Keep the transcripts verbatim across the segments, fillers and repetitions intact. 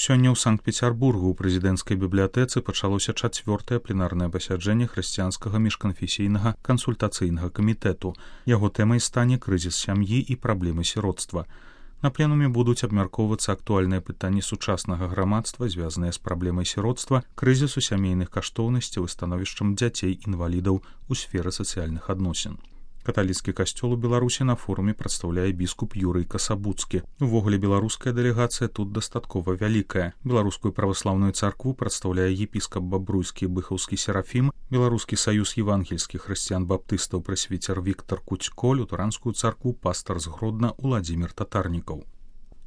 Сёння ў Санкт-Пецярбургу ў прэзідэнцкай бібліятэцы пачалося чацвёртае пленарнае пасяджэнне хрысціянскага міжканфесійнага кансультацыйнага камітэту. Яго тэмай стане крызіс сям'і і праблемы сіротства. На пленуме будуць абмяркоўвацца актуальныя пытанні сучаснага грамадства, звязаныя з праблемай сіротства, крызісу сямейных каштоўнасцяў і становішчам дзяцей-інвалідаў у сферы сацыяльных адносін. Каталіцкі касцёл у Беларусі на форуме прадстаўляе біскуп Юрый Касабуцкі. Увогуле беларуская дэлегацыя тут дастаткова вялікая. Беларускую праваслаўную царкву прадстаўляе епіскап Бабруйскі Быхаўскі Серафім, Беларускі саюз евангельскіх хрысціян-баптыстаў прэсвіцер Віктар Куцько, лютэранскую царкву пастар з Гродна Уладзімір Татарнікаў.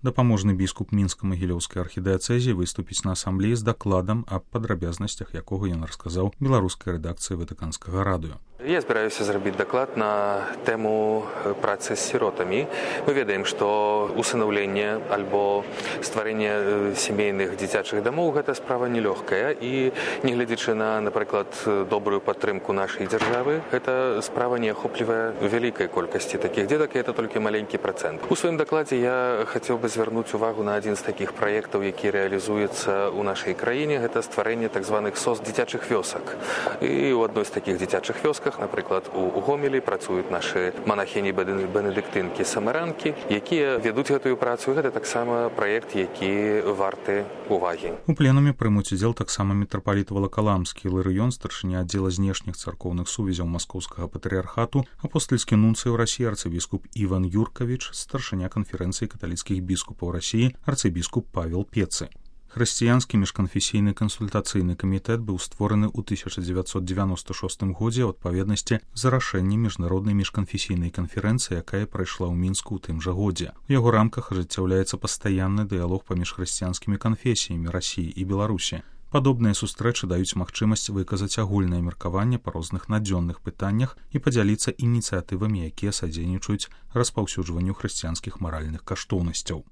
Дапаможны біскуп мінска-магілёўскай архідыяцэзіі выступіць на асамблеі з дакладам аб падрабязнасцях, якога ён расказаў беларускай рэдакцыі Ватыканскага радыё. Я збіраюся зрабіць даклад на тэму працы з сіротамі. Мы ведаем, што усынаўленне альбо стварэнне сямейных дзіцячых дамоў гэта справа нелёгкая, і нягледзячы на, напрыклад, добрую падтрымку нашай дзяржавы, гэта справа не ахоплівае вялікай колькасці такіх дзетак, і гэта толькі маленькі працэнт. У сваім дакладзе я хацеў бы звярнуць увагу на адзін з такіх праектаў, які рэалізуецца ў нашай краіне, гэта стварэнне так званых сос дзіцячых вёсак. І ў адной з такіх дзіцячых вёсках, напрыклад, у Гомелі працуюць нашы манахіні-бенедыктынкі самаранкі, якія вядуць гэтую працу. Гэта таксама праект, які варты увагі. У пленуме прымуць удзел таксама мітрапаліт Валакаламскі Іларыён, старшыня аддзела знешніх царкоўных сувязяў маскоўскага патрыярхату, апостальскі нунцый у Расіі арцыбіскуп Іван Юркавіч, старшыня канферэнцыі каталіцкіх біскупаў Расіі арцыбіскуп Павел Пецы. Хрысціянскі міжканфесійны кансультацыйны камітэт быў створаны ў тысяча дзевяцьсот дзевяноста шостым годзе ў адпаведнасці за рашэннем міжнароднай міжканфесійнай канферэнцыі, якая прайшла ў Мінску ў тым жа годзе. У яго рамках ажыццяўляецца пастаянны дыялог паміж хрысціянскімі канфесіямі Расіі і Беларусі. Падобныя сустрэчы даюць магчымасць выказаць агульнае меркаванне па розных надзённых пытаннях і падзяліцца ініцыятывамі, якія садзейнічаюць распаўсюджванню хрысціянскіх маральных каштоўнасцяў.